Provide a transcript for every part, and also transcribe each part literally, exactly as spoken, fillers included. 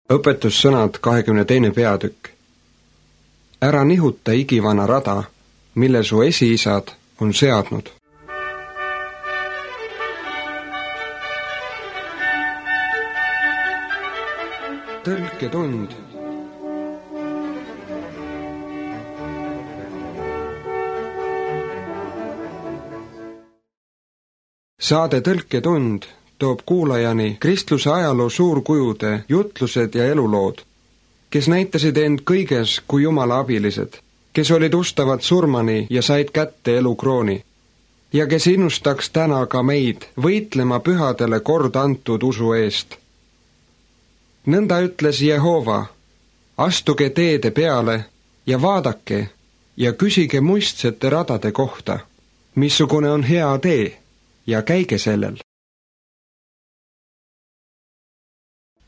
Õpetussõnad kahekümne teine peatükk. Ära nihuta igivana rada, mille su esiisad on seadnud. Tõlketund. Saade Tõlketund toob kuulajani kristluse ajaloo suurkujude jutlused ja elulood, kes näitasid end kõiges kui Jumala abilised, kes olid ustavad surmani ja said kätte elukrooni, ja kes innustaks täna ka meid võitlema pühadele kord antud usu eest. Nõnda ütles Jehova, astuge teede peale ja vaadake ja küsige muistsete radade kohta, missugune on hea tee, ja käige sellel.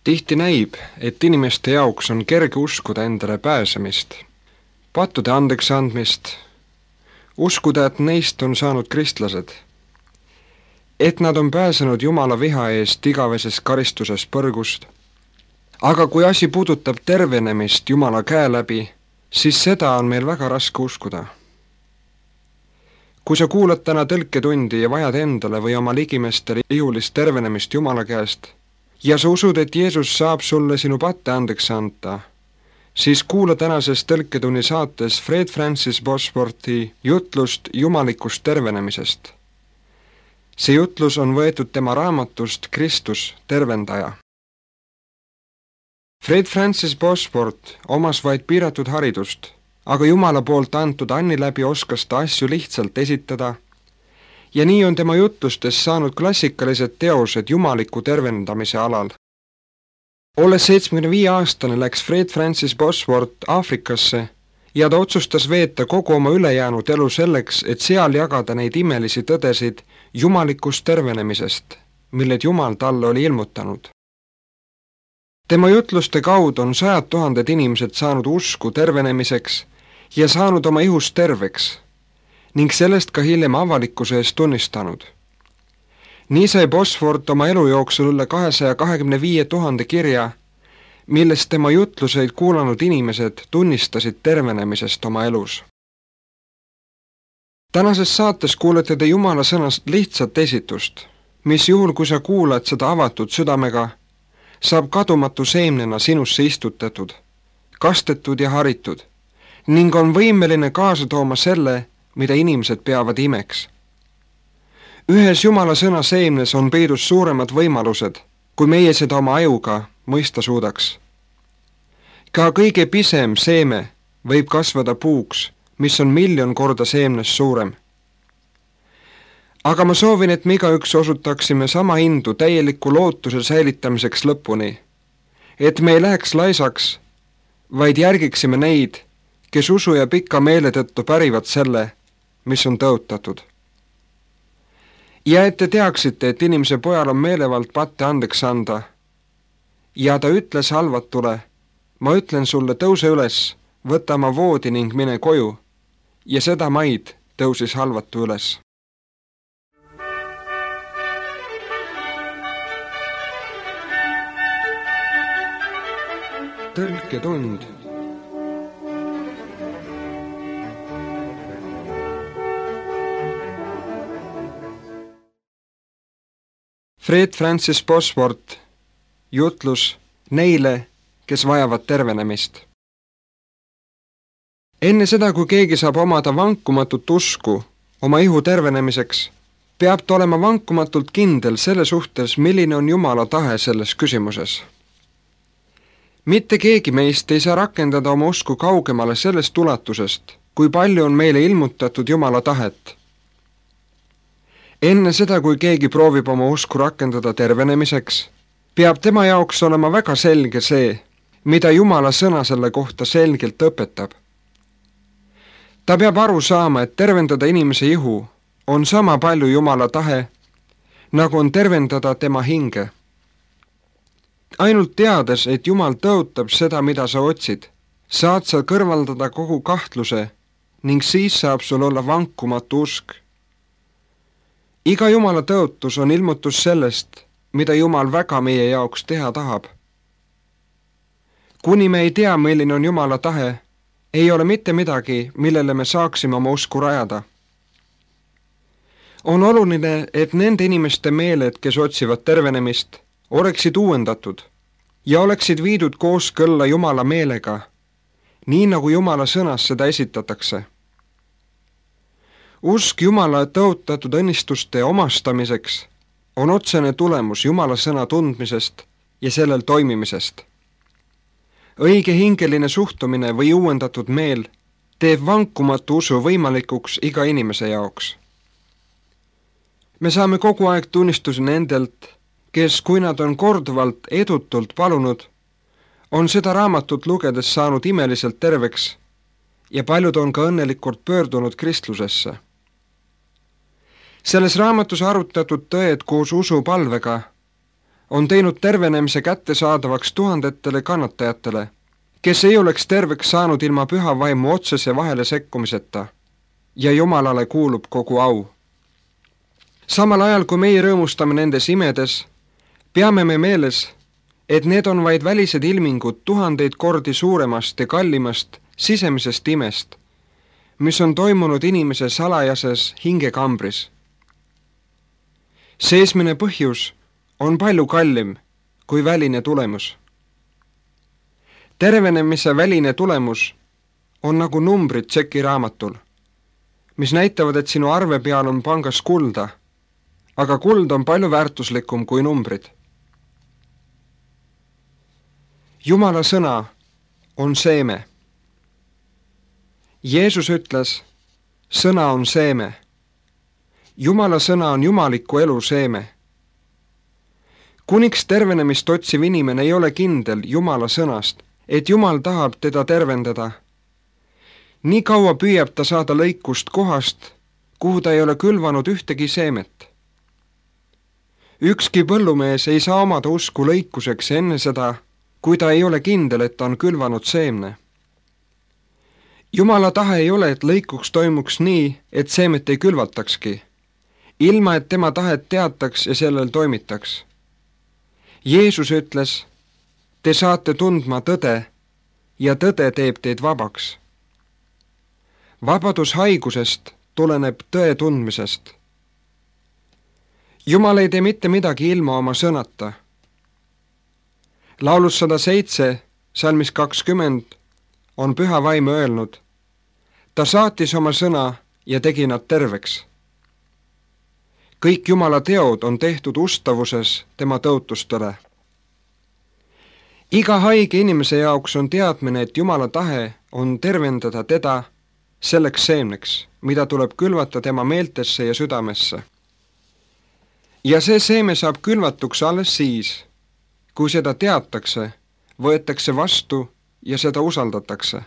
Tihti näib, et inimeste jaoks on kerge uskuda endale pääsemist, pattude andeks andmist, uskuda, et neist on saanud kristlased, et nad on pääsenud Jumala viha eest igaveses karistuses põrgust. Aga kui asi puudutab tervenemist Jumala käe läbi, siis seda on meil väga raske uskuda. Kui sa kuulad täna tõlketundi ja vajad endale või oma ligimestele ihulist tervenemist Jumala käest, ja sa usud, et Jeesus saab sulle sinu patte andeks anda, siis kuula tänases tõlketunni saates Fred Francis Bosworthi jutlust jumalikust tervenemisest. See jutlus on võetud tema raamatust Kristus, tervendaja. Fred Francis Bosworth omas vaid piiratud haridust, aga Jumala poolt antud anni läbi oskas ta asju lihtsalt esitada, ja nii on tema jutlustes saanud klassikalised teosed jumaliku tervendamise alal. Olles seitsmekümne viie aastane läks Fred Francis Bosworth Aafrikasse ja ta otsustas veeta kogu oma ülejäänud elu selleks, et seal jagada neid imelisi tõdesid jumalikust tervenemisest, milled Jumal talle oli ilmutanud. Tema jutluste kaudu on sajad tuhanded inimesed saanud usku tervenemiseks ja saanud oma ihust terveks, ning sellest ka hiljem avalikkuse eest tunnistanud. Nii sai Bosworth oma elu jooksul üle kahesaja kahekümne viie tuhande kirja, millest tema jutluseid kuulanud inimesed tunnistasid tervenemisest oma elus. Tänases saates kuulete te Jumala sõnast lihtsat esitust, mis juhul, kui sa kuulad seda avatud südamega, saab kadumatu seemnena sinusse istutatud, kastetud ja haritud, ning on võimeline kaasa tooma selle, mida inimesed peavad imeks. Ühes Jumala sõna seemnes on peidus suuremad võimalused, kui meie seda oma ajuga mõista suudaks. Ka kõige pisem seeme võib kasvada puuks, mis on miljon korda seemnes suurem. Aga ma soovin, et me igaüks osutaksime sama hindu täieliku lootuse säilitamiseks lõpuni, et me ei läheks laisaks, vaid järgiksime neid, kes usu ja pika meele tõttu pärivad selle, mis on tõotatud. Ja et te teaksite, et inimese pojal on meelevald patte andeks anda, ja ta ütles halvatule, ma ütlen sulle, tõuse üles, võta oma voodi ning mine koju, ja seda maid tõusis halvatu üles. Tõlketund. Fred Francis Bosworth jutlus neile, kes vajavad tervenemist. Enne seda, kui keegi saab omada vankumatut usku oma ihu tervenemiseks, peab ta olema vankumatult kindel selle suhtes, milline on Jumala tahe selles küsimuses. Mitte keegi meist ei saa rakendada oma usku kaugemale sellest ulatusest, kui palju on meile ilmutatud Jumala tahet. Enne seda, kui keegi proovib oma usku rakendada tervenemiseks, peab tema jaoks olema väga selge see, mida Jumala sõna selle kohta selgelt õpetab. Ta peab aru saama, et tervendada inimese ihu on sama palju Jumala tahe, nagu on tervendada tema hinge. Ainult teades, et Jumal tõotab seda, mida sa otsid, saad sa kõrvaldada kogu kahtluse ning siis saab sul olla vankumatu usk. Iga Jumala tõotus on ilmutus sellest, mida Jumal väga meie jaoks teha tahab. kuni me ei tea, milline on Jumala tahe, ei ole mitte midagi, millele me saaksime oma usku rajada. On oluline, et nende inimeste meeled, kes otsivad tervenemist, oleksid uuendatud ja oleksid viidud kooskõlla Jumala meelega, nii nagu Jumala sõnas seda esitatakse. Usk Jumala tõotatud õnnistuste omastamiseks on otsene tulemus Jumala sõna tundmisest ja sellel toimimisest. Õige hingeline suhtumine või uuendatud meel teeb vankumatu usu võimalikuks iga inimese jaoks. Me saame kogu aeg tunnistusi nendelt, kes, kui nad on korduvalt edutult palunud, on seda raamatut lugedes saanud imeliselt terveks ja paljud on ka õnnelikult pöördunud kristlusesse. Selles raamatus arutatud tõed koos usupalvega on teinud tervenemise kättesaadavaks tuhandetele kannatajatele, kes ei oleks terveks saanud ilma püha vaimu otsese vahele sekkumiseta ja Jumalale kuulub kogu au. Samal ajal, kui meie rõõmustame nendes imedes, peame me meeles, et need on vaid välised ilmingud tuhandeid kordi suuremast ja kallimast sisemisest imest, mis on toimunud inimese salajases hingekambris. Seesmine põhjus on palju kallim kui väline tulemus. Tervenemise väline tulemus on nagu numbrid tšekiraamatul, mis näitavad, et sinu arve peal on pangas kulda, aga kuld on palju väärtuslikum kui numbrid. Jumala sõna on seeme. Jeesus ütles, sõna on seeme. Jumala sõna on jumaliku elu seeme. Kuniks tervenemist otsiv inimene ei ole kindel Jumala sõnast, et Jumal tahab teda tervendada. Nii kaua püüab ta saada lõikust kohast, kuhu ta ei ole külvanud ühtegi seemet. Ükski põllumees ei saa omada usku lõikuseks enne seda, kui ta ei ole kindel, et ta on külvanud seemne. Jumala tahe ei ole, et lõikuks toimuks nii, et seemet ei külvatakski, ilma et tema tahet teataks ja sellel toimitaks. Jeesus ütles, te saate tundma tõde ja tõde teeb teid vabaks. Vabadus haigusest tuleneb tõe tundmisest. Jumal ei tee mitte midagi ilma oma sõnata. Laulus sada seitse, salmis kakskümmend on püha vaim öelnud, ta saatis oma sõna ja tegi nad terveks. Kõik Jumala teod on tehtud ustavuses tema tõotustele. Iga haige inimese jaoks on teadmine, et Jumala tahe on tervendada teda selleks seemneks, mida tuleb külvata tema meeltesse ja südamesse. Ja see seeme saab külvatuks alles siis, kui seda teatakse, võetakse vastu ja seda usaldatakse.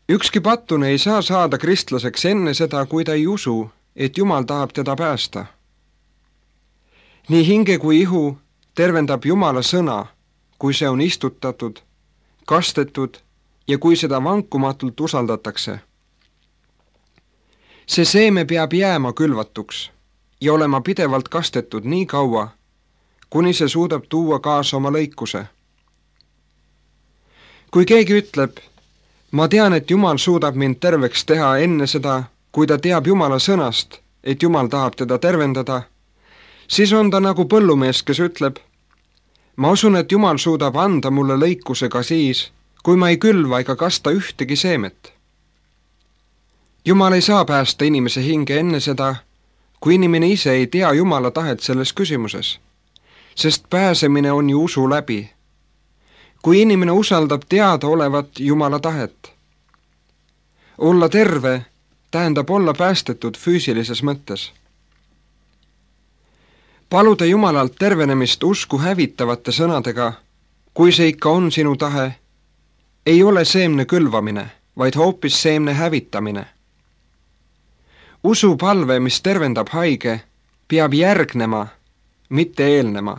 Ükski pattune ei saa saada kristlaseks enne seda, kui ta ei usu, et Jumal tahab teda päästa. Nii hinge kui ihu tervendab Jumala sõna, kui see on istutatud, kastetud ja kui seda vankumatult usaldatakse. See seeme peab jääma külvatuks ja olema pidevalt kastetud nii kaua, kuni see suudab tuua kaasa oma lõikuse. Kui keegi ütleb, ma tean, et Jumal suudab mind terveks teha enne seda, kui ta teab Jumala sõnast, et Jumal tahab teda tervendada, siis on ta nagu põllumees, kes ütleb, ma usun, et Jumal suudab anda mulle lõikuse ka siis, kui ma ei külva ega kasta ühtegi seemet. Jumal ei saa päästa inimese hinge enne seda, kui inimene ise ei tea Jumala tahet selles küsimuses, sest pääsemine on ju usu läbi. Kui inimene usaldab teada olevat Jumala tahet. Olla terve tähendab olla päästetud füüsilises mõttes. Paluda Jumalalt tervenemist usku hävitavate sõnadega, kui see ikka on sinu tahe, ei ole seemne külvamine, vaid hoopis seemne hävitamine. Usupalve, mis tervendab haige, peab järgnema, mitte eelnema,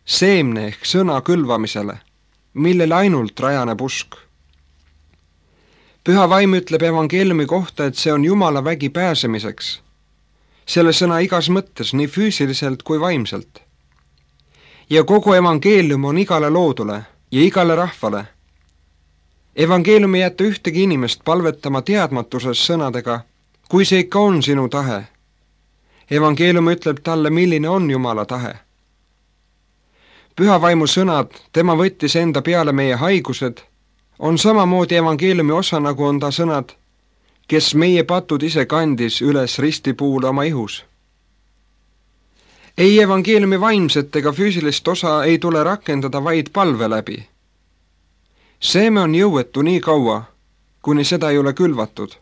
seemne ehk sõna külvamisele, millel ainult rajaneb usk. Püha vaim ütleb evangeeliumi kohta, et see on Jumala vägi pääsemiseks, selle sõna igas mõttes, nii füüsiliselt kui vaimselt. Ja kogu evangeelium on igale loodule ja igale rahvale. Evangeelium ei jäta ühtegi inimest palvetama teadmatuses sõnadega, kui see ikka on sinu tahe. Evangeelium ütleb talle, milline on Jumala tahe. Püha vaimu sõnad, tema võttis enda peale meie haigused, on samamoodi evangeeliumi osa, nagu on ta sõnad, kes meie patud ise kandis üles ristipuule oma ihus. Ei evangeeliumi vaimset ega füüsilist osa ei tule rakendada vaid palve läbi. Seeme on jõuetu nii kaua, kuni seda ei ole külvatud.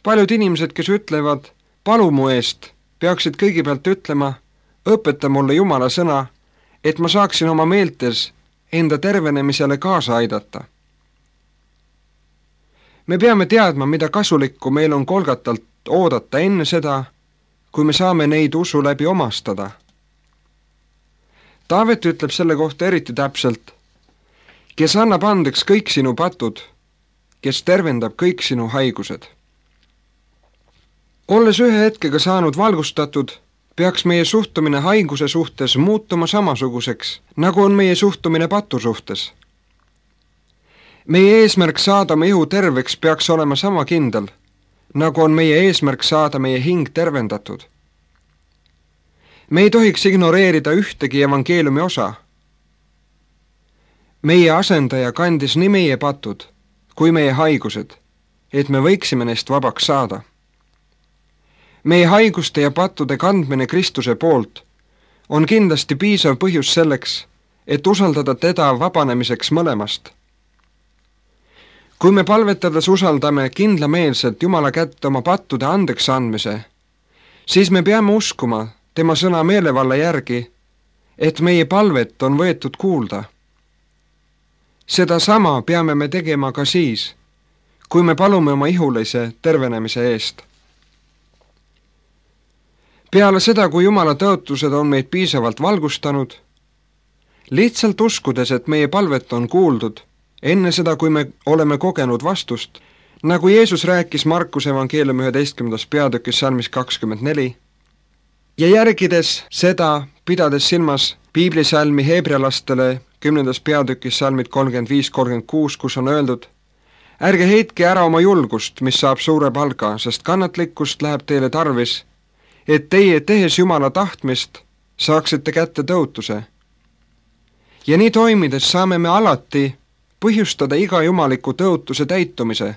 Paljud inimesed, kes ütlevad, palu mu eest, peaksid kõigepealt ütlema, õpeta mulle Jumala sõna, et ma saaksin oma meeltes enda tervenemisele kaasa aidata. Me peame teadma, mida kasulikku meil on Golgatalt oodata enne seda, kui me saame neid usu läbi omastada. Taavet ütleb selle kohta eriti täpselt, kes annab andeks kõik sinu patud, kes tervendab kõik sinu haigused. Olles ühe hetkega saanud valgustatud, peaks meie suhtumine haiguse suhtes muutuma samasuguseks, nagu on meie suhtumine patu suhtes. Meie eesmärk saada meie ihu terveks peaks olema sama kindel, nagu on meie eesmärk saada meie hing tervendatud. Me ei tohiks ignoreerida ühtegi evangeeliumi osa. Meie asendaja kandis nii meie patud kui meie haigused, et me võiksime neist vabaks saada. Meie haiguste ja pattude kandmine Kristuse poolt on kindlasti piisav põhjus selleks, et usaldada teda vabanemiseks mõlemast. Kui me palvetades usaldame kindlameelselt Jumala kätte oma pattude andeks andmise, siis me peame uskuma tema sõna meelevalla järgi, et meie palvet on võetud kuulda. Seda sama peame me tegema ka siis, kui me palume oma ihulise tervenemise eest. Peale seda, kui Jumala tõotused on meid piisavalt valgustanud, lihtsalt uskudes, et meie palvet on kuuldud, enne seda, kui me oleme kogenud vastust, nagu Jeesus rääkis Markuse evangeeliumi üheteistkümnendas peatükis salmis kakskümmend neli, ja järgides seda, pidades silmas piiblisalmi heebrealastele kümnendas peatükis salmid kolmkümmend viis kolmkümmend kuus, kus on öeldud, ärge heitke ära oma julgust, mis saab suure palga, sest kannatlikkust läheb teile tarvis, et teie, tehes Jumala tahtmist, saaksite kätte tõotuse. Ja nii toimides saame me alati põhjustada iga jumaliku tõotuse täitumise.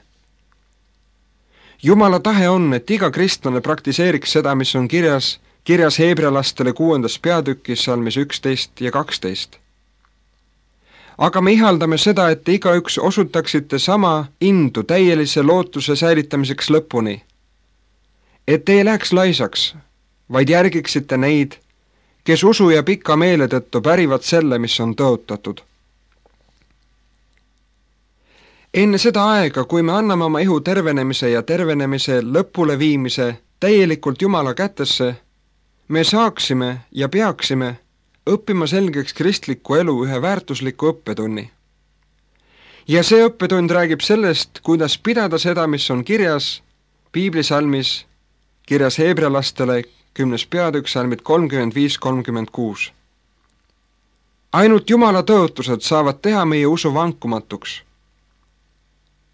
Jumala tahe on, et iga kristlane praktiseeriks seda, mis on kirjas, kirjas heebrealastele kuuendas peatükis salmis üksteist ja kaksteist. Aga me ihaldame seda, et igaüks osutaksite sama indu täielise lootuse säilitamiseks lõpuni. Et ei läheks laisaks, vaid järgiksite neid, kes usu ja pika meele tõttu pärivad selle, mis on tõotatud. Enne seda aega, kui me anname oma ihu tervenemise ja tervenemise lõpule viimise täielikult Jumala kätesse, me saaksime ja peaksime õppima selgeks kristliku elu ühe väärtusliku õppetunni. Ja see õppetund räägib sellest, kuidas pidada seda, mis on kirjas piiblisalmis, kirjas heebrealastele kümnes peatükk salmid kolmkümmend viis kolmkümmend kuus. Ainult Jumala tõotused saavad teha meie usu vankumatuks.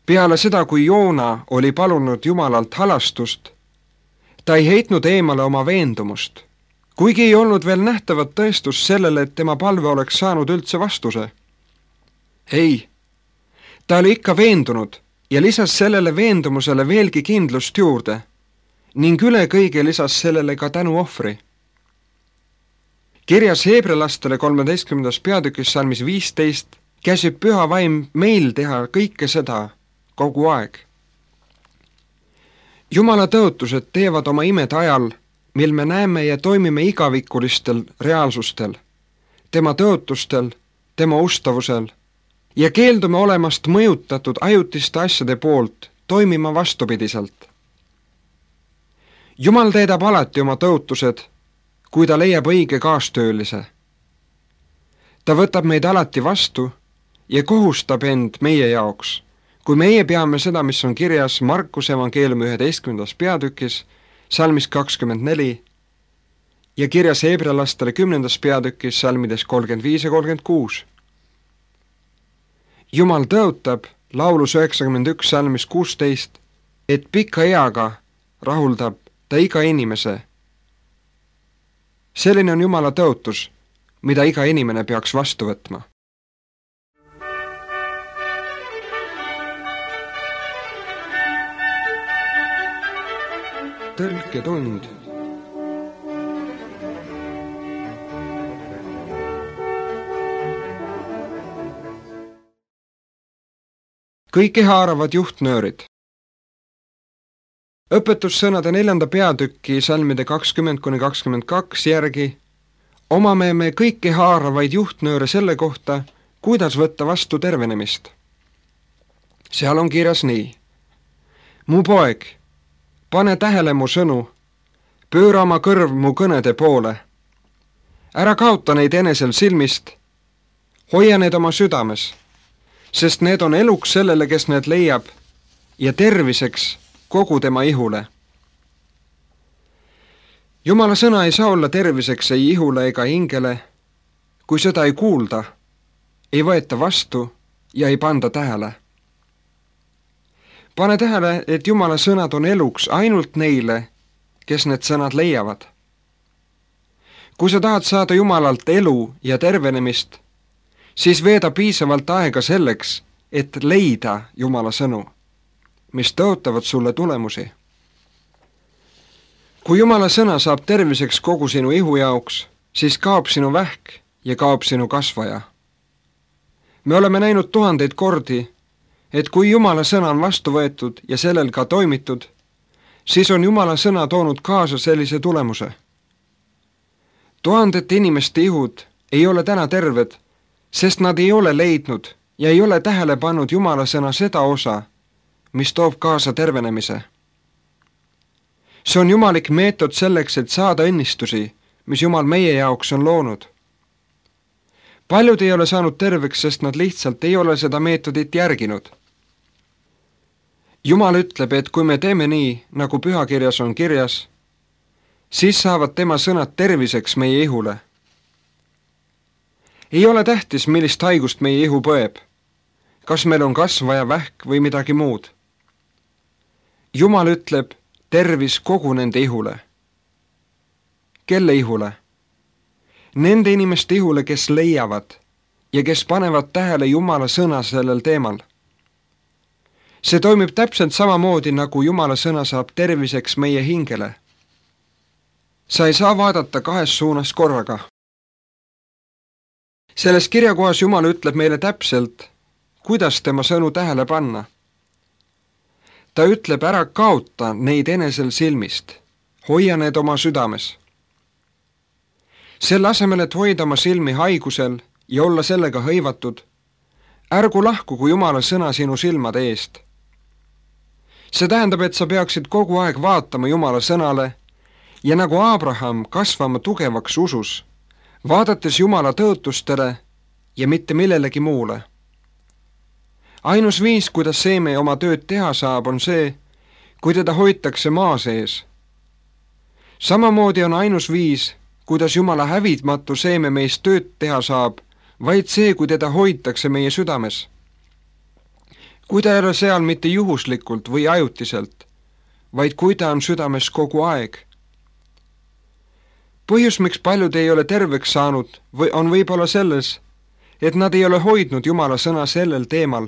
Peale seda, kui Joona oli palunud Jumalalt halastust, ta ei heitnud eemale oma veendumust, kuigi ei olnud veel nähtavat tõestust sellele, et tema palve oleks saanud üldse vastuse. Ei, ta oli ikka veendunud ja lisas sellele veendumusele veelgi kindlust juurde ning üle kõige lisas sellele ka tänuohvri. Kirjas heebrealastele kolmeteistkümnendas peatükis salmis viisteist käsib püha vaim meil teha kõike seda kogu aeg. Jumala tõotused teevad oma imed ajal, mil me näeme ja toimime igavikulistel reaalsustel, tema tõotustel, tema ustavusel ja keeldume olemast mõjutatud ajutiste asjade poolt toimima vastupidiselt. Jumal teedab alati oma tõotused, kui ta leiab õige kaastöölise. Ta võtab meid alati vastu ja kohustab end meie jaoks, kui meie peame seda, mis on kirjas Markuse evangeeliumi üheteistkümnendas peatükis, salmis kakskümmend neli ja kirjas heebrealastele kümnendas peatükis salmides kolmkümmend viis ja kolmkümmend kuus. Jumal tõotab laulus üheksakümmend üks salmis kuusteist, et pika eaga rahuldab ta iga inimese. Selline on Jumala tõotus, mida iga inimene peaks vastu võtma. Tõlketund. Kõiki haaravad juhtnöörid. Õpetussõnade neljanda peatüki salmide kakskümmend kuni kakskümmend kaks järgi omame me kõiki haaravaid juhtnööre selle kohta, kuidas võtta vastu tervenemist. Seal on kirjas nii. Mu poeg, pane tähele mu sõnu, pööra oma kõrv mu kõnede poole. Ära kaota neid enesel silmist, hoia need oma südames, sest need on eluks sellele, kes need leiab, ja terviseks kogu tema ihule. Jumala sõna ei saa olla terviseks ei ihule ega hingele, kui seda ei kuulda, ei võeta vastu ja ei panda tähele. Pane tähele, et Jumala sõnad on eluks ainult neile, kes need sõnad leiavad. Kui sa tahad saada Jumalalt elu ja tervenemist, siis veeda piisavalt aega selleks, et leida Jumala sõnu, mis tõotavad sulle tulemusi. Kui Jumala sõna saab terviseks kogu sinu ihu jaoks, siis kaob sinu vähk ja kaob sinu kasvaja. Me oleme näinud tuhandeid kordi, et kui Jumala sõna on vastu võetud ja sellel ka toimitud, siis on Jumala sõna toonud kaasa sellise tulemuse. Tuhandete inimeste ihud ei ole täna terved, sest nad ei ole leidnud ja ei ole tähele pannud Jumala sõna seda osa, mis toob kaasa tervenemise. See on jumalik meetod selleks, et saada õnnistusi, mis Jumal meie jaoks on loonud. Paljud ei ole saanud terveks, sest nad lihtsalt ei ole seda meetodit järginud. Jumal ütleb, et kui me teeme nii, nagu pühakirjas on kirjas, siis saavad tema sõnad terviseks meie ihule. Ei ole tähtis, millist haigust meie ihu põeb, kas meil on kasvaja, vähk või midagi muud. Jumal ütleb tervis kogu nende ihule. Kelle ihule? Nende inimeste ihule, kes leiavad ja kes panevad tähele Jumala sõna sellel teemal. See toimib täpselt samamoodi, nagu Jumala sõna saab terviseks meie hingele. Sa ei saa vaadata kahes suunas korraga. Selles kirjakohas Jumal ütleb meile täpselt, kuidas tema sõnu tähele panna. Ta ütleb, ära kaota neid enesel silmist, hoia need oma südames. Selle asemel, et hoida oma silmi haigusel ja olla sellega hõivatud, ärgu lahku, kui Jumala sõna sinu silmade eest. See tähendab, et sa peaksid kogu aeg vaatama Jumala sõnale ja nagu Abraham kasvama tugevaks usus, vaadates Jumala tõotustele ja mitte millelegi muule. Ainus viis, kuidas seeme oma tööd teha saab, on see, kui teda hoitakse maa sees. Samamoodi on ainus viis, kuidas Jumala hävitmatu seeme meist tööd teha saab, vaid see, kui teda hoitakse meie südames. Kui ta ei ole seal mitte juhuslikult või ajutiselt, vaid kui ta on südames kogu aeg. Põhjus, miks paljud ei ole terveks saanud, on võib-olla selles, et nad ei ole hoidnud Jumala sõna sellel teemal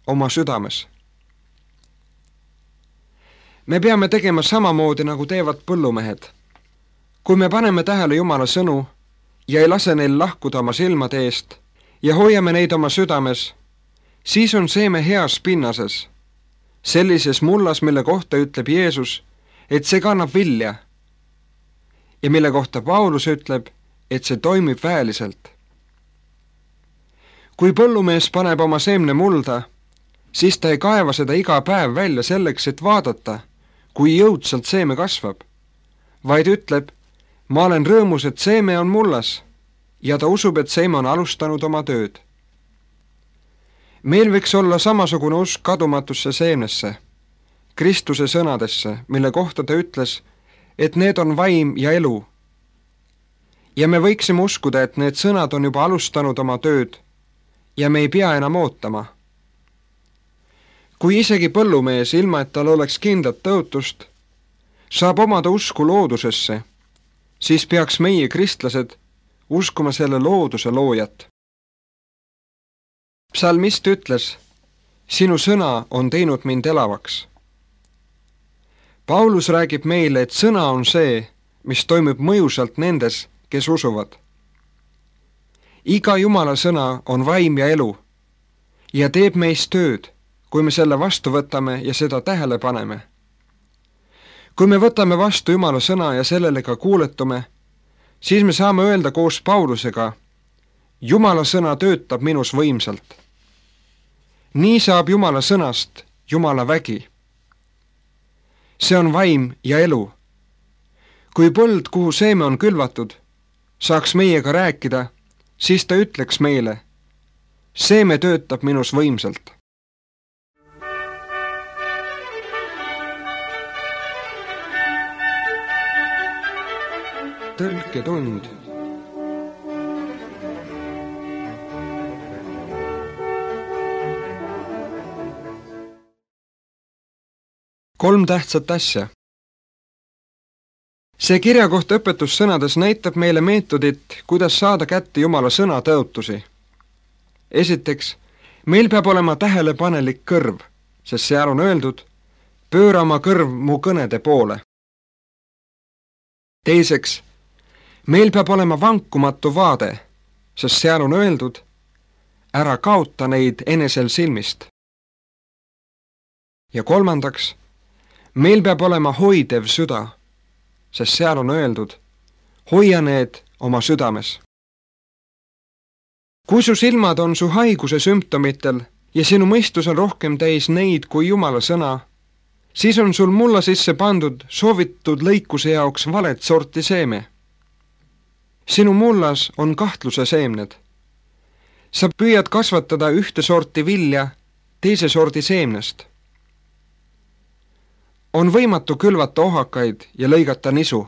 oma südames. Me peame tegema samamoodi, nagu teevad põllumehed. Kui me paneme tähele Jumala sõnu ja ei lase neil lahkuda oma silmade eest ja hoiame neid oma südames, siis on seeme heas pinnases, sellises mullas, mille kohta ütleb Jeesus, et see kannab vilja, ja mille kohta Paulus ütleb, et see toimib väeliselt. Kui põllumees paneb oma seemne mulda, siis ta ei kaeva seda iga päev välja selleks, et vaadata, kui jõudsalt seeme kasvab, vaid ütleb, ma olen rõõmus, et seeme on mullas, ja ta usub, et seeme on alustanud oma tööd. Meil võiks olla samasugune usk kadumatusse seemnesse, Kristuse sõnadesse, mille kohta ta ütles, et need on vaim ja elu. Ja me võiksime uskuda, et need sõnad on juba alustanud oma tööd ja me ei pea enam ootama. Kui isegi põllumees, ilma et tal oleks kindlat tõotust, saab omada usku loodusesse, siis peaks meie, kristlased, uskuma selle looduse loojat. Psalmist ütles, sinu sõna on teinud mind elavaks. Paulus räägib meile, et sõna on see, mis toimub mõjusalt nendes, kes usuvad. Iga Jumala sõna on vaim ja elu ja teeb meist tööd, kui me selle vastu võtame ja seda tähele paneme. Kui me võtame vastu Jumala sõna ja sellele ka kuuletume, siis me saame öelda koos Paulusega, Jumala sõna töötab minus võimsalt. Nii saab Jumala sõnast Jumala vägi. See on vaim ja elu. Kui põld, kuhu seeme on külvatud, saaks meiega rääkida, siis ta ütleks meile, seeme töötab minus võimsalt. Tõlketund. Kolm tähtsat asja. See kirjakoht õpetussõnades näitab meile meetodit, kuidas saada kätte Jumala sõna tõotusi. Esiteks, meil peab olema tähelepanelik kõrv, sest seal on öeldud, pööra oma kõrv mu kõnede poole. Teiseks, meil peab olema vankumatu vaade, sest seal on öeldud, ära kaota neid enesel silmist. Ja kolmandaks, meil peab olema hoidev süda, sest seal on öeldud, hoia need oma südames. Kui su silmad on su haiguse sümptomitel ja sinu mõistus on rohkem täis neid kui Jumala sõna, siis on sul mulla sisse pandud soovitud lõikuse jaoks valet sorti seeme. Sinu mullas on kahtluse seemned. Sa püüad kasvatada ühte sorti vilja teise sordi seemnest. On võimatu külvata ohakaid ja lõigata nisu.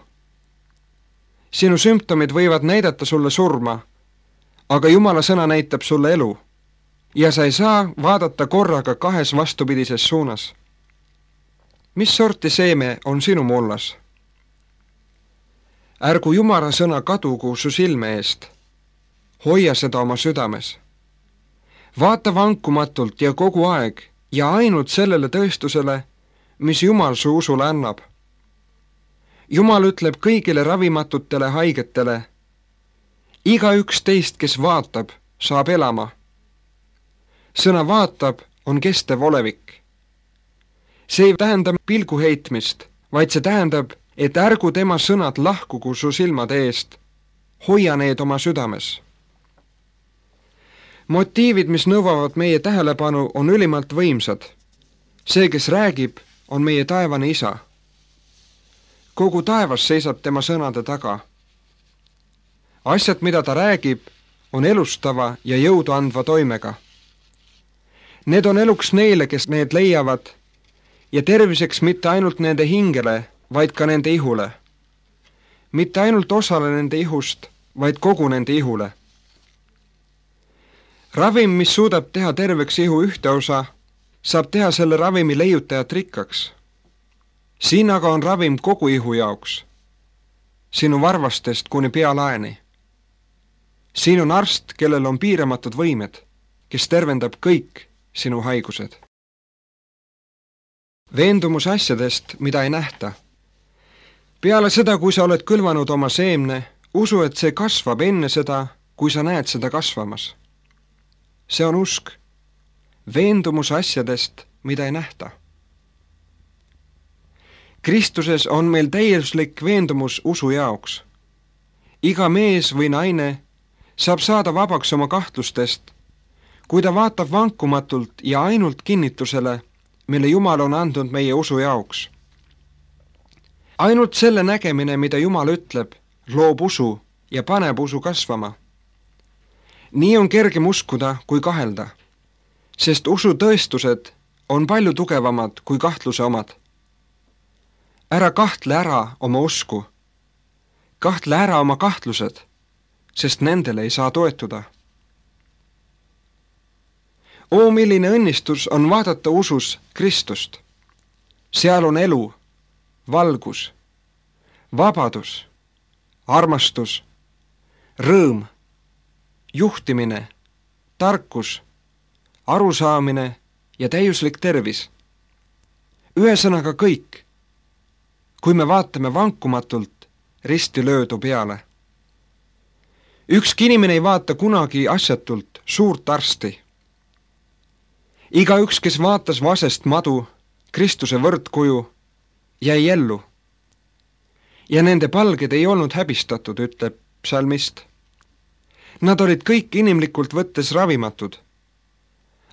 Sinu sümptomid võivad näidata sulle surma, aga Jumala sõna näitab sulle elu ja sa ei saa vaadata korraga kahes vastupidises suunas. Mis sorti seeme on sinu mullas? Ärgu Jumala sõna kadugu su silme eest. Hoia seda oma südames. Vaata vankumatult ja kogu aeg ja ainult sellele tõestusele, mis Jumal su usule annab. Jumal ütleb kõigile ravimatutele haigetele, iga üks teist, kes vaatab, saab elama. Sõna vaatab on kestev olevik. See ei tähenda pilgu heitmist, vaid see tähendab, et ärgu tema sõnad lahkugu su silmade eest, hoia need oma südames. Motiivid, mis nõuavad meie tähelepanu, on ülimalt võimsad. See, kes räägib, on meie taevane isa. Kogu taevas seisab tema sõnade taga. Asjad, mida ta räägib, on elustava ja jõudu andva toimega. Need on eluks neile, kes need leiavad, ja terviseks mitte ainult nende hingele, vaid ka nende ihule. Mitte ainult osale nende ihust, vaid kogu nende ihule. Ravim, mis suudab teha terveks ihu ühte osa, saab teha selle ravimi leiutajat rikkaks. Siin aga on ravim kogu ihu jaoks, sinu varvastest kuni pealaeni. Siin on arst, kellel on piiramatud võimed, kes tervendab kõik sinu haigused. Veendumus asjadest, mida ei nähta. Peale seda, kui sa oled külvanud oma seemne, usu, et see kasvab enne seda, kui sa näed seda kasvamas. See on usk. Veendumus asjadest, mida ei nähta. Kristuses on meil täiuslik veendumus usu jaoks. Iga mees või naine saab saada vabaks oma kahtlustest, kui ta vaatab vankumatult ja ainult kinnitusele, mille Jumal on andnud meie usu jaoks. Ainult selle nägemine, mida Jumal ütleb, loob usu ja paneb usu kasvama. Nii on kergem uskuda kui kahelda, sest usu tõestused on palju tugevamad kui kahtluse omad. Ära kahtle ära oma usku. Kahtle ära oma kahtlused, sest nendele ei saa toetuda. oo, milline õnnistus on vaadata usus Kristust. Seal on elu, valgus, vabadus, armastus, rõõm, juhtimine, tarkus, arusaamine ja täiuslik tervis. Ühesõnaga kõik, kui me vaatame vankumatult risti löödu peale. Ükski inimene ei vaata kunagi asjatult suurt arsti. Igaüks, kes vaatas vasest madu, Kristuse võrdkuju, jäi ellu. Ja nende palged ei olnud häbistatud, ütleb psalmist. Nad olid kõik inimlikult võttes ravimatud,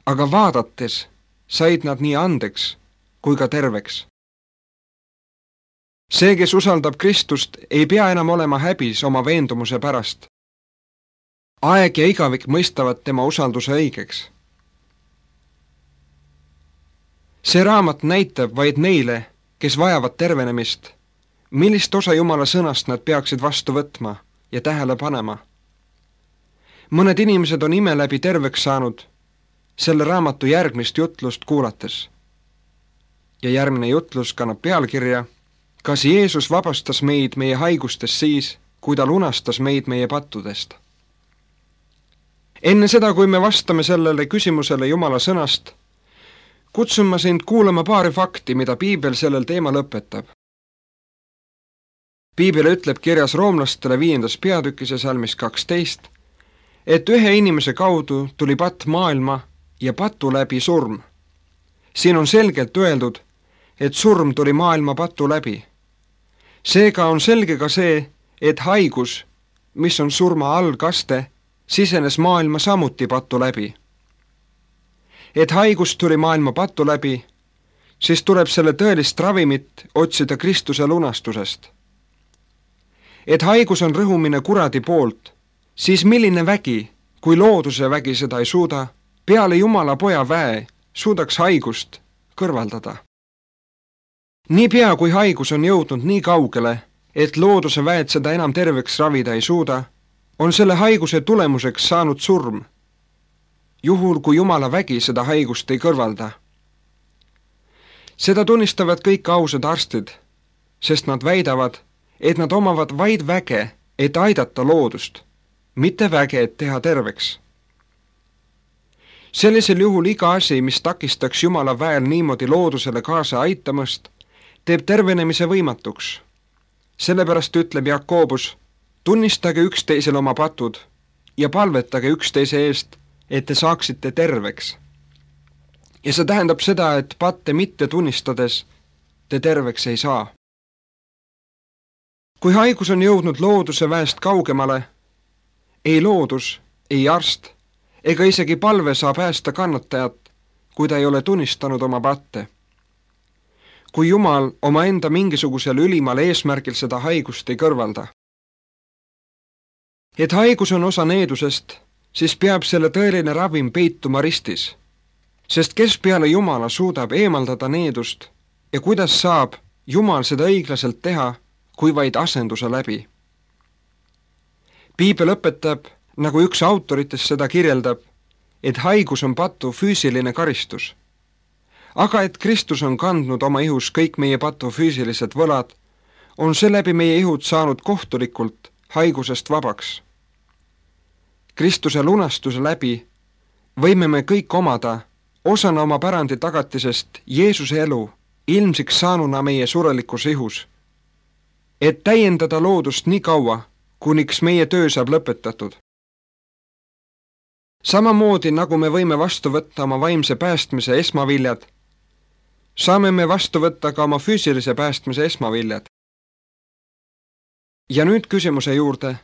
aga vaadates said nad nii andeks kui ka terveks. See, kes usaldab Kristust, ei pea enam olema häbis oma veendumuse pärast. Aeg ja igavik mõistavad tema usalduse õigeks. See raamat näitab vaid neile, kes vajavad tervenemist, millist osa Jumala sõnast nad peaksid vastu võtma ja tähele panema. Mõned inimesed on ime läbi terveks saanud selle raamatu järgmist jutlust kuulates. Ja järgmine jutlus kannab pealkirja Kas Jeesus vabastas meid meie haigustest siis, kui ta lunastas meid meie pattudest? Enne seda, kui me vastame sellele küsimusele Jumala sõnast, kutsun ma sind kuulama paari fakti, mida Piibel sellel teemal õpetab. Piibel ütleb kirjas roomlastele viiendas peatükis ja salmis kaksteist, et ühe inimese kaudu tuli patt maailma ja patu läbi surm. Siin on selgelt öeldud, et surm tuli maailma patu läbi. Seega on selge ka see, et haigus, mis on surma algaste, sisenes maailma samuti patu läbi. Et haigus tuli maailma patu läbi, siis tuleb selle tõelist ravimit otsida Kristuse lunastusest. Et haigus on rõhumine kuradi poolt, siis milline vägi, kui looduse vägi seda ei suuda, peale Jumala poja väe suudaks haigust kõrvaldada. Niipea kui haigus on jõudnud nii kaugele, et looduse väed seda enam terveks ravida ei suuda, on selle haiguse tulemuseks saanud surm, juhul kui Jumala vägi seda haigust ei kõrvalda. Seda tunnistavad kõik ausad arstid, sest nad väidavad, et nad omavad vaid väge, et aidata loodust, mitte väge, et teha terveks. Sellisel juhul iga asi, mis takistaks Jumala väel niimoodi loodusele kaasa aitamast, teeb tervenemise võimatuks. Sellepärast ütleb Jakobus, tunnistage üksteisel oma patud ja palvetage üksteise eest, et te saaksite terveks. Ja see tähendab seda, et patte mitte tunnistades te terveks ei saa. Kui haigus on jõudnud looduse väest kaugemale, ei loodus, ei arst ega isegi palve saa päästa kannatajat, kui ta ei ole tunnistanud oma patte. Kui Jumal oma enda mingisugusel ülimal eesmärgil seda haigust ei kõrvalda. Et haigus on osa needusest, siis peab selle tõeline ravim peituma ristis, sest kes peale Jumala suudab eemaldada needust ja kuidas saab Jumal seda õiglaselt teha, kui vaid asenduse läbi. Piibel õpetab, nagu üks autoritest seda kirjeldab, et haigus on patu füüsiline karistus. Aga et Kristus on kandnud oma ihus kõik meie patu füüsilised võlad, on seeläbi meie ihud saanud kohtulikult haigusest vabaks. Kristuse lunastuse läbi võime me kõik omada osana oma pärandi tagatisest Jeesuse elu ilmsiks saanuna meie surelikus ihus, et täiendada loodust nii kaua, kuniks meie töö saab lõpetatud. Samamoodi nagu me võime vastu võtta oma vaimse päästmise esmaviljad, saame me vastu võtta ka oma füüsilise päästmise esmaviljad. Ja nüüd küsimuse juurde,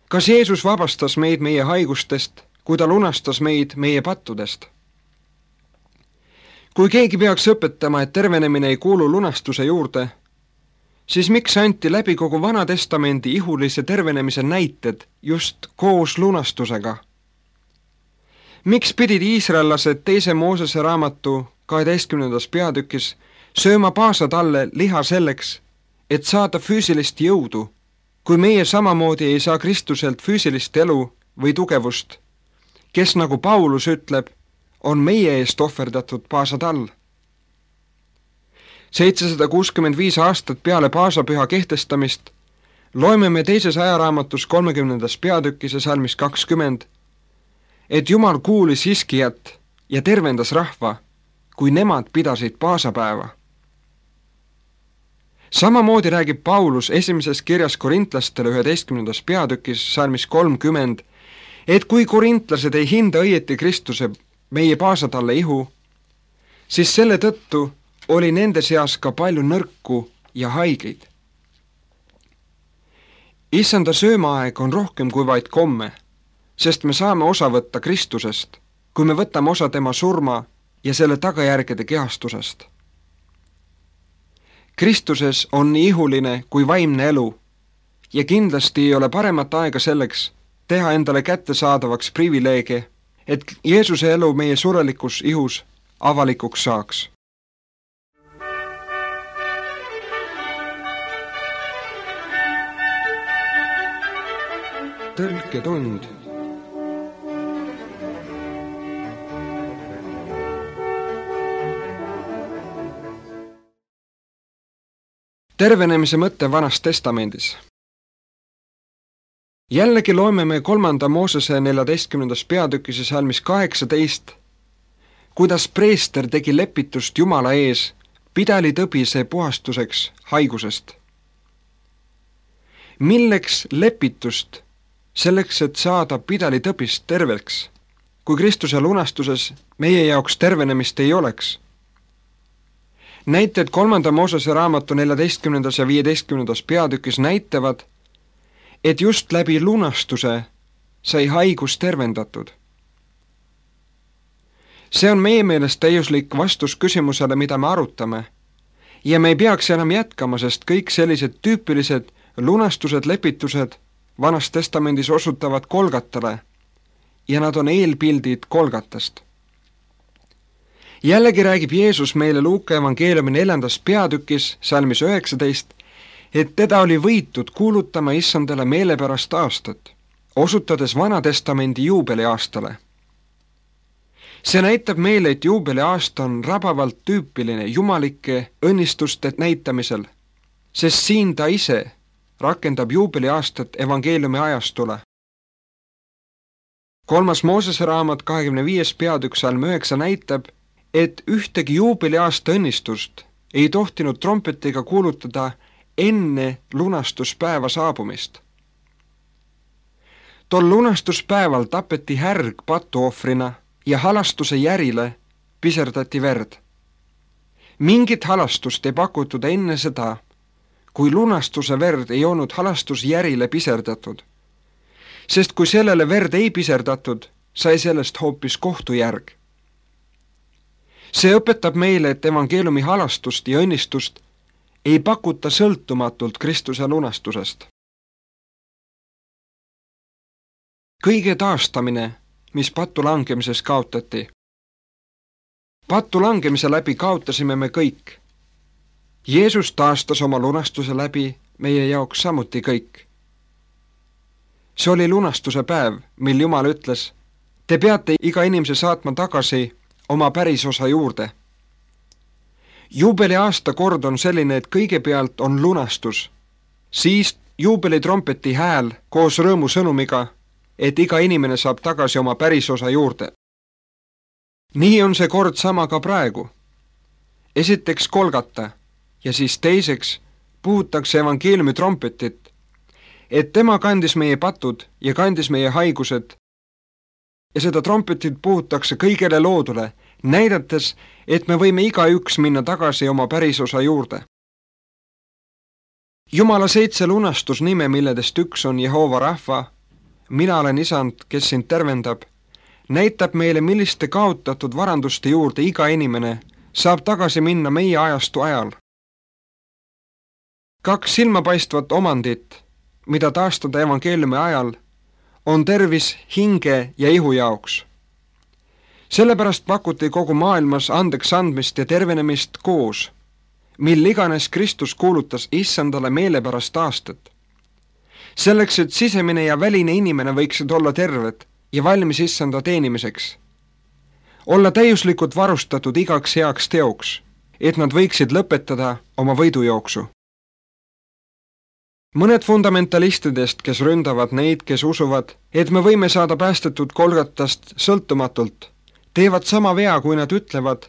kas Jeesus vabastas meid meie haigustest, kui ta lunastas meid meie pattudest? Kui keegi peaks õpetama, et tervenemine ei kuulu lunastuse juurde, siis miks anti läbi kogu Vana Testamendi ihulise tervenemise näited just koos lunastusega? Miks pidid iisraellased teise Moosese raamatu kaheteistkümnendas peatükis sööma paasatalle liha selleks, et saada füüsilist jõudu, kui meie samamoodi ei saa Kristuselt füüsilist elu või tugevust, kes nagu Paulus ütleb, on meie eest ohverdatud paasatall. seitsesada kuuskümmend viis aastat peale paasapüha kehtestamist loeme me teises ajaraamatus kolmekümnendas peatükis ja salmis kakskümmend, et Jumal kuulis Hiskijat ja tervendas rahva, kui nemad pidasid paasapäeva. Samamoodi räägib Paulus esimeses kirjas korintlastele üheteistkümnendas peatükis salmis kolmkümmend, et kui korintlased ei hinda õieti Kristuse meie paasatalle ihu, siis selle tõttu oli nende seas ka palju nõrku ja haigeid. Issanda söömaaeg on rohkem kui vaid komme, sest me saame osa võtta Kristusest, kui me võtame osa tema surma ja selle tagajärgede kehastusest. Kristuses on nii ihuline kui vaimne elu ja kindlasti ei ole paremat aega selleks teha endale kättesaadavaks privileege, et Jeesuse elu meie surelikus ihus avalikuks saaks. Tõlketund. Tervenemise mõte Vanas Testamendis. Jällegi loeme me kolmanda Moosese neljateistkümnendas peatükis ja salmis kaheksateist, kuidas preester tegi lepitust Jumala ees pidali tõbise puhastuseks haigusest. Milleks lepitust? Selleks, et saada pidali tõbist terveks, kui Kristuse lunastuses meie jaoks tervenemist ei oleks. Näited kolmanda Moosese raamatu neljateistkümnendas ja viieteistkümnendas peatükis näitavad, et just läbi lunastuse sai haigus tervendatud. See on meie meelest täiuslik vastus küsimusele, mida me arutame, ja me ei peaks enam jätkama, sest kõik sellised tüüpilised lunastused, lepitused Vanas Testamendis osutavad Kolgatale ja nad on eelpildid Kolgatast. Jällegi räägib Jeesus meile Luuka evangeeliumi neljandas peatükis salmis üheksateist, et teda oli võitud kuulutama issandale meelepärast aastat, osutades Vana Testamendi juubeliaastale. See näitab meile, et juubeliaasta on rabavalt tüüpiline jumalike õnnistuste näitamisel, sest siin ta ise rakendab juubeliaastat evangeeliumi ajastule. Kolmas Moosese raamat kahekümne viies peatükk salm üheksa näitab, et ühtegi juubeliaasta õnnistust ei tohtinud trompetiga kuulutada enne lunastuspäeva saabumist. Tol lunastuspäeval tapeti härg patuohvrina ja halastuse järile piserdati verd. Mingit halastust ei pakutud enne seda, kui lunastuse verd ei olnud halastusjärile piserdatud, sest kui sellele verd ei piserdatud, sai sellest hoopis kohtujärg. See õpetab meile, et evangeeliumi halastust ja õnnistust ei pakuta sõltumatult Kristuse lunastusest. Kõige taastamine, mis pattu langemises kaotati. Pattu langemise läbi kaotasime me kõik. Jeesus taastas oma lunastuse läbi meie jaoks samuti kõik. See oli lunastuse päev, mil Jumal ütles, te peate iga inimese saatma tagasi oma pärisosa juurde. Juubeliaasta kord on selline, et kõigepealt on lunastus, siis juubelitrompeti hääl koos rõõmusõnumiga, et iga inimene saab tagasi oma pärisosa juurde. Nii on see kord sama ka praegu. Esiteks Kolgata ja siis teiseks puhutakse evangeeliumi trompetit, et tema kandis meie patud ja kandis meie haigused ja seda trompetit puhutakse kõigele loodule, näidates, et me võime igaüks minna tagasi oma pärisosa juurde. Jumala seitse lunastusnime, milledest üks on Jehova rahva, mina olen isand, kes sind tervendab, näitab meile, milliste kaotatud varanduste juurde iga inimene saab tagasi minna meie ajastu ajal. Kaks silmapaistvat omandit, mida taastada evangeeliumi ajal, on tervis hinge ja ihu jaoks. Sellepärast pakuti kogu maailmas andeks andmist ja tervenemist koos, mil iganes Kristus kuulutas issandale meelepärast aastat. Selleks, et sisemine ja väline inimene võiksid olla terved ja valmis issanda teenimiseks, olla täiuslikult varustatud igaks heaks teoks, et nad võiksid lõpetada oma võidujooksu. Mõned fundamentalistidest, kes ründavad neid, kes usuvad, et me võime saada päästetud Golgatast sõltumatult, teevad sama vea, kui nad ütlevad,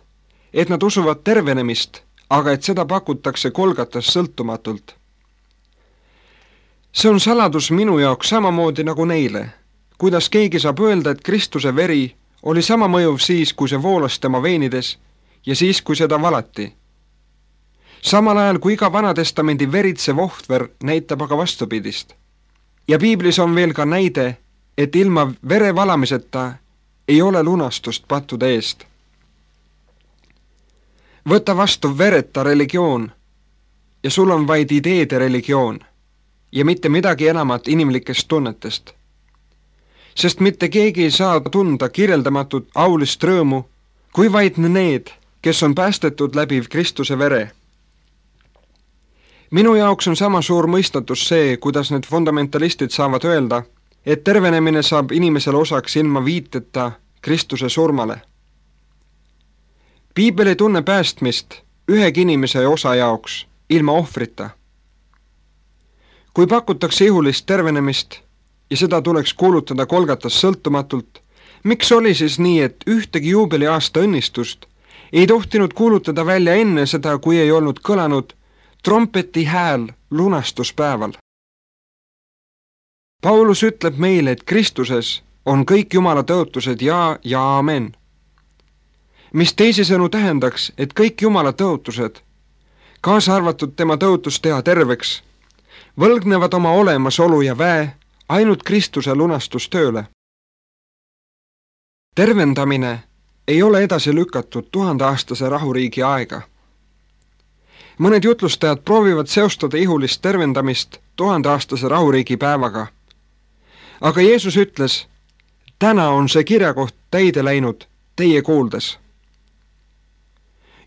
et nad usuvad tervenemist, aga et seda pakutakse Golgatast sõltumatult. See on saladus minu jaoks samamoodi nagu neile, kuidas keegi saab öelda, et Kristuse veri oli sama mõjuv siis, kui see voolas tema veenides ja siis, kui seda valati. Samal ajal, kui iga Vanatestamendi veritsev ohver näitab aga vastupidist. Ja piiblis on veel ka näide, et ilma vere valamiseta ei ole lunastust pattude eest. Võta vastu vereta religioon ja sul on vaid ideede religioon ja mitte midagi enamat inimlikest tunnetest. Sest mitte keegi ei saa tunda kirjeldamatut aulist rõõmu, kui vaid need, kes on päästetud läbi Kristuse vere. Minu jaoks on sama suur mõistatus see, kuidas need fundamentalistid saavad öelda, et tervenemine saab inimesele osaks ilma viiteta Kristuse surmale. Piibel ei tunne päästmist ühegi inimese osa jaoks ilma ohvrita. Kui pakutakse ihulist tervenemist ja seda tuleks kuulutada Golgatas sõltumatult, miks oli siis nii, et ühtegi juubeliaasta õnnistust ei tohtinud kuulutada välja enne seda, kui ei olnud kõlanud trompeti hääl lunastuspäeval? Paulus ütleb meile, et Kristuses on kõik Jumala tõotused ja ja amen. Mis teisisõnu tähendaks, et kõik Jumala tõotused, kaasa arvatud tema tõotus teha terveks, võlgnevad oma olemasolu ja väe ainult Kristuse lunastustööle. Tervendamine ei ole edasi lükatud tuhandeaastase rahuriigi aega. Mõned jutlustajad proovivad seostada ihulist tervendamist tuhandeaastase rahuriigi päevaga. Aga Jeesus ütles, täna on see kirjakoht täide läinud teie kuuldes.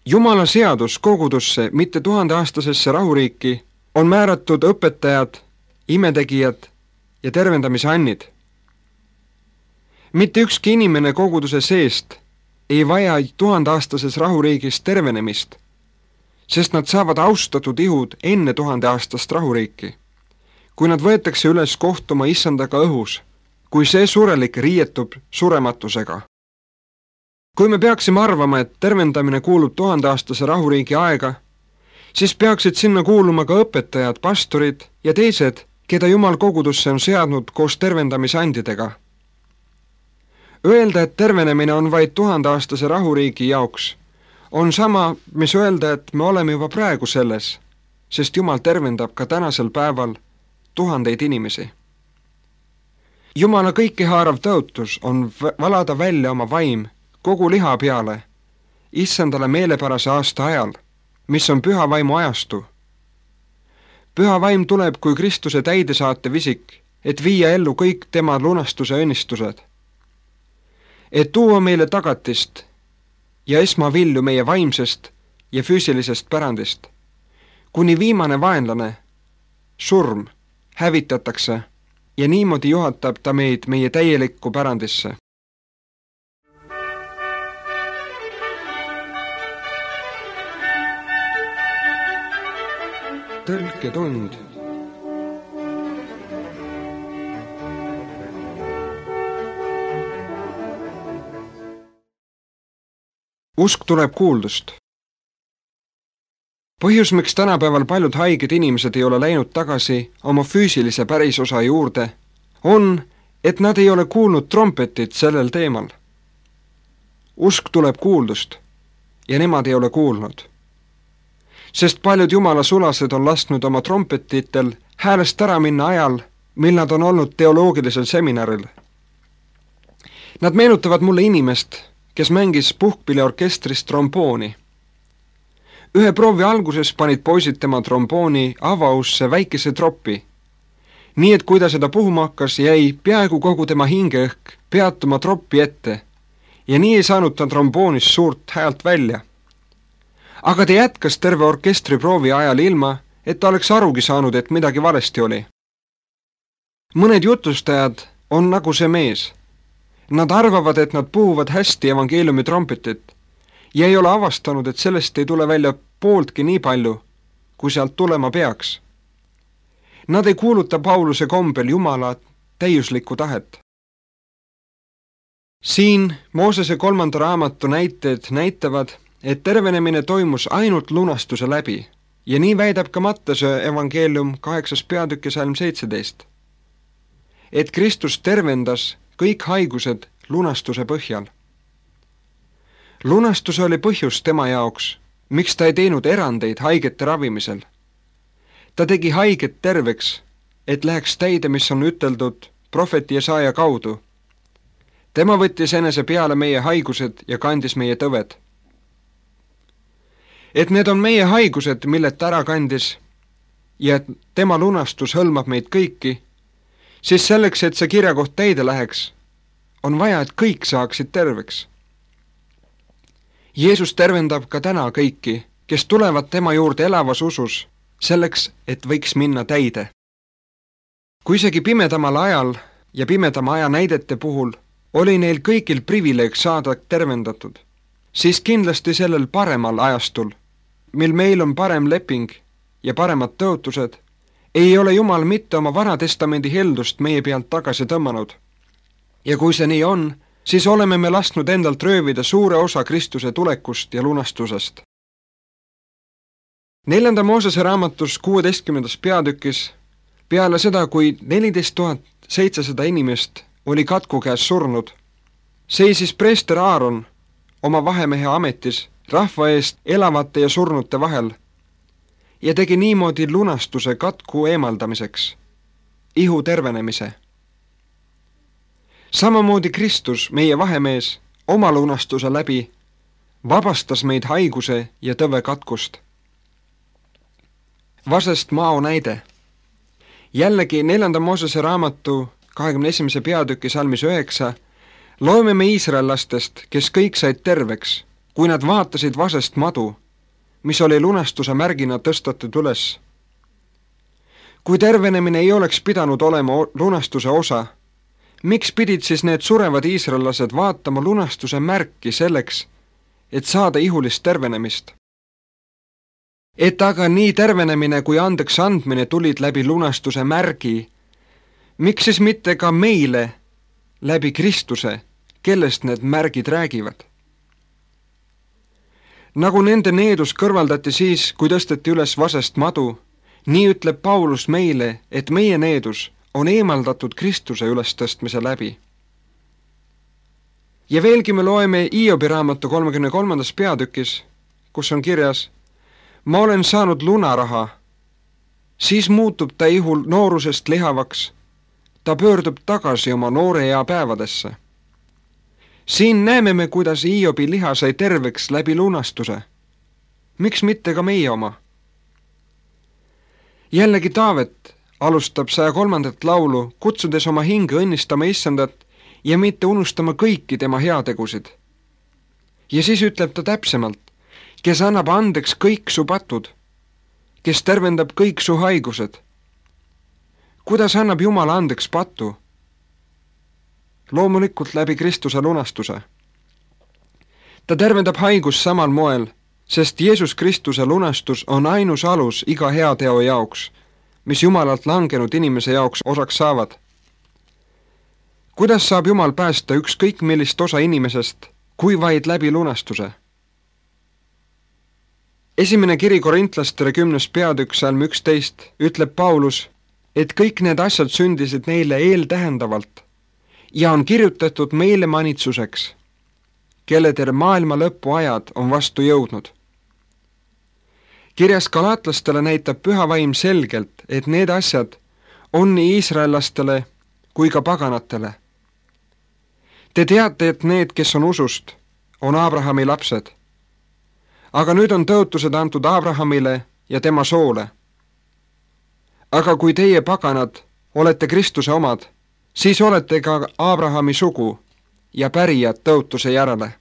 Jumala seadus kogudusse, mitte tuhandeaastasesse rahuriiki, on määratud õpetajad, imetegijad ja tervendamise annid. Mitte ükski inimene koguduse seest ei vaja tuhandeaastases rahuriigis tervenemist, sest nad saavad austatud ihud enne tuhandeaastast rahuriiki, kui nad võetakse üles kohtuma issandaga õhus, kui see surelik riietub surematusega. Kui me peaksime arvama, et tervendamine kuulub tuhandeaastase rahuriigi aega, siis peaksid sinna kuuluma ka õpetajad, pastorid ja teised, keda Jumal kogudusse on seadnud koos tervendamisandidega. Öelda, et tervenemine on vaid tuhandeaastase rahuriigi jaoks, on sama, mis öelda, et me oleme juba praegu selles, sest Jumal tervendab ka tänasel päeval tuhandeid inimesi. Jumala kõikehaarav tõotus on valada välja oma vaim kogu liha peale, issandale meelepärase aasta ajal, mis on püha vaimu ajastu. Püha vaim tuleb kui Kristuse täidesaatev isik, et viia ellu kõik tema lunastuse õnnistused. Et tuua meile tagatist ja esmavilju meie vaimsest ja füüsilisest pärandist, kuni viimane vaenlane, surm, hävitatakse ja niimoodi juhatab ta meid meie täielikku pärandisse. Tõlketund. Usk tuleb kuuldust. Põhjus, miks tänapäeval paljud haiged inimesed ei ole läinud tagasi oma füüsilise pärisosa juurde, on, et nad ei ole kuulnud trompetit sellel teemal. Usk tuleb kuuldust ja nemad ei ole kuulnud. Sest paljud Jumala sulased on lasknud oma trompetitel häälest ära minna ajal, mil nad on olnud teoloogilisel seminaril. Nad meenutavad mulle inimest, kes mängis puhkpilliorkestris trombooni. Ühe proovi alguses panid poisid tema trombooni avausse väikese troppi, nii et kui ta seda puhuma hakkas, jäi peaaegu kogu tema hingeõhk peatuma troppi ette ja nii ei saanud ta tromboonist suurt häält välja. Aga ta jätkas terve orkestri proovi ajal ilma, et ta oleks arugi saanud, et midagi valesti oli. Mõned jutustajad on nagu see mees. Nad arvavad, et nad puhuvad hästi evangeeliumi trompetit ja ei ole avastanud, et sellest ei tule välja pooltki nii palju, kui sealt tulema peaks. Nad ei kuuluta Pauluse kombel Jumala täiuslikku tahet. Siin Moosese kolmanda raamatu näited näitavad, et tervenemine toimus ainult lunastuse läbi ja nii väidab ka Mattuse evangeelium kaheksas peatükk ja salm seitseteist, et Kristus tervendas kõik haigused lunastuse põhjal. Lunastus oli põhjus tema jaoks, miks ta ei teinud erandeid haigete ravimisel. Ta tegi haiget terveks, et läheks täide, mis on üteldud prohveti Jesaja kaudu. Tema võttis enese peale meie haigused ja kandis meie tõved. Et need on meie haigused, millet ta ära kandis ja et tema lunastus hõlmab meid kõiki, siis selleks, et see kirjakoht täide läheks, on vaja, et kõik saaksid terveks. Jeesus tervendab ka täna kõiki, kes tulevad tema juurde elavas usus, selleks, et võiks minna täide. Kui isegi pimedamal ajal ja pimedama aja näidete puhul oli neil kõigil privileeg saada tervendatud, siis kindlasti sellel paremal ajastul, mil meil on parem leping ja paremad tõotused, ei ole Jumal mitte oma Vanatestamendi heldust meie pealt tagasi tõmmanud. Ja kui see nii on, siis oleme me lasknud endalt röövida suure osa Kristuse tulekust ja lunastusest. Neljanda Moosese raamatus kuueteistkümnendas peatükis, peale seda, kui neliteist tuhat seitsesada inimest oli katku käes surnud, seisis preester Aaron oma vahemehe ametis rahva eest elavate ja surnute vahel ja tegi niimoodi lunastuse katku eemaldamiseks, ihu tervenemise. Samamoodi Kristus, meie vahemees, oma lunastuse läbi vabastas meid haiguse ja tõve katkust. Vasest mao näide. Jällegi neljanda Moosese raamatu kahekümne esimese peatüki salmis üheksa loeme me iisraellastest, kes kõik said terveks, kui nad vaatasid vasest madu, mis oli lunastuse märgina tõstatud üles. Kui tervenemine ei oleks pidanud olema lunastuse osa, miks pidid siis need surevad iisraellased vaatama lunastuse märki selleks, et saada ihulist tervenemist? Et aga nii tervenemine kui andeks andmine tulid läbi lunastuse märgi, miks siis mitte ka meile läbi Kristuse, kellest need märgid räägivad? Nagu nende needus kõrvaldati siis, kui tõsteti üles vasest madu, nii ütleb Paulus meile, et meie needus on eemaldatud Kristuse ülestõstmise läbi. Ja veelgi me loeme Hiobi raamatu kolmekümne kolmandas peatükis, kus on kirjas: ma olen saanud lunaraha, siis muutub ta ihul noorusest lihavaks, ta pöördub tagasi oma noore ea päevadesse. Siin näeme me, kuidas Hiobi liha sai terveks läbi lunastuse. Miks mitte ka meie oma? Jällegi Taavet alustab saja kolmandat laulu, kutsudes oma hinge õnnistama Issandat ja mitte unustama kõiki tema heategusid. Ja siis ütleb ta täpsemalt: kes annab andeks kõik su patud, kes tervendab kõik su haigused. Kuidas annab Jumal andeks patu? Loomulikult läbi Kristuse lunastuse. Ta tervendab haigus samal moel, sest Jeesus Kristuse lunastus on ainus alus iga heateo jaoks, mis Jumalalt langenud inimese jaoks osaks saavad. Kuidas saab Jumal päästa ükskõik millist osa inimesest, kui vaid läbi lunastuse? Esimene kiri korintlastele kümnes peatükk salm üksteist ütleb Paulus, et kõik need asjad sündisid neile eeltähendavalt ja on kirjutatud meile manitsuseks, kelledel maailma lõpu ajad on vastu jõudnud. Kirjas galaatlastele näitab püha vaim selgelt, et need asjad on nii iisraellastele kui ka paganatele. Te teate, et need, kes on usust, on Abrahami lapsed. Aga nüüd on tõotused antud Abrahamile ja tema soole. Aga kui teie paganad olete Kristuse omad, siis olete ka Abrahami sugu ja pärijad tõotuse järele.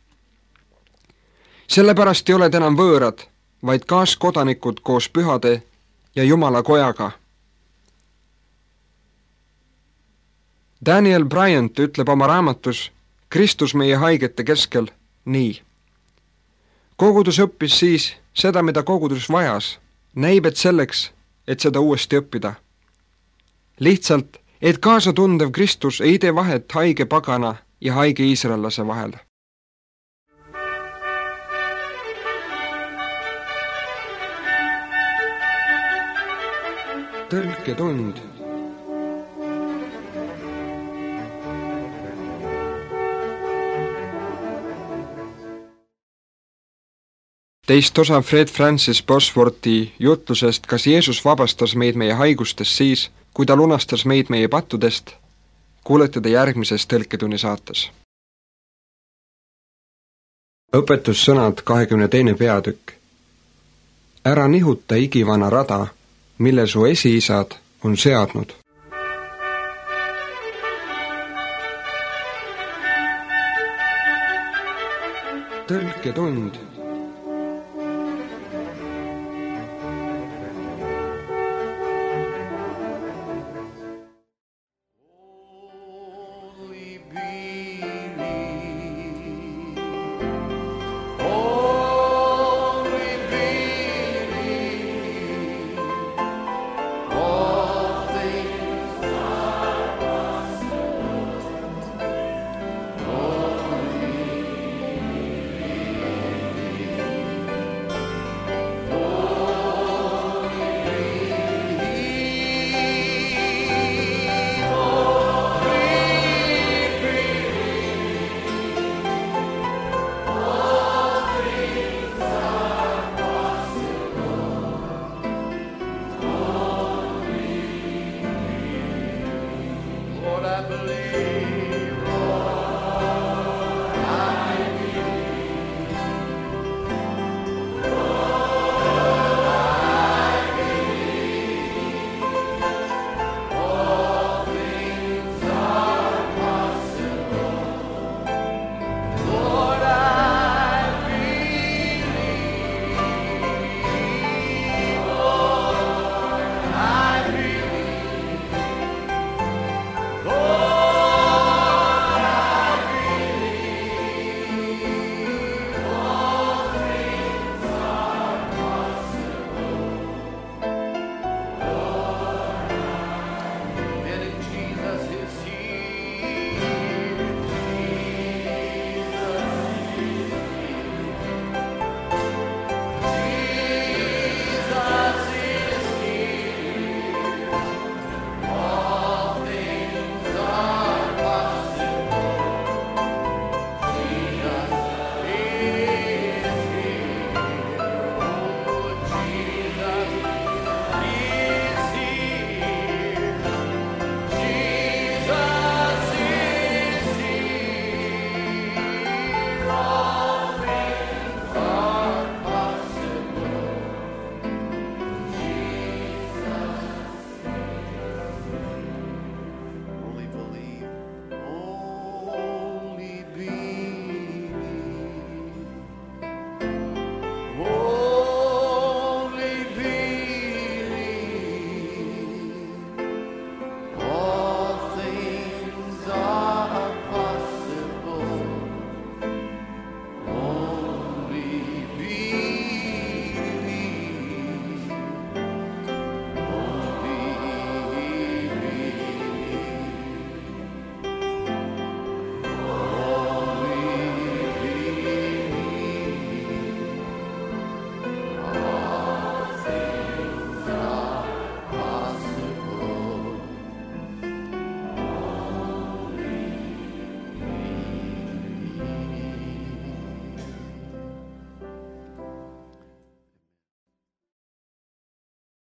Sellepärast ei ole enam võõrad, vaid kaaskodanikud koos pühade ja Jumala kojaga. Daniel Bryant ütleb oma raamatus Kristus meie haigete keskel nii. Kogudus õppis siis seda, mida kogudus vajas, näib, et selleks, et seda uuesti õppida. Lihtsalt, et kaasatundev Kristus ei tee vahet haige pagana ja haige iisraellase vahel. Tõlketund. Teist osa Fred Francis Bosworthi jutlusest, kas Jeesus vabastas meid meie haigustest siis, kui ta lunastas meid meie pattudest, kuulete te järgmises tõlketunni saates. Õpetussõnad kahekümne teine peatükk. Ära nihuta igivana rada, mille su esiisad on seadnud. Tõlketund. Be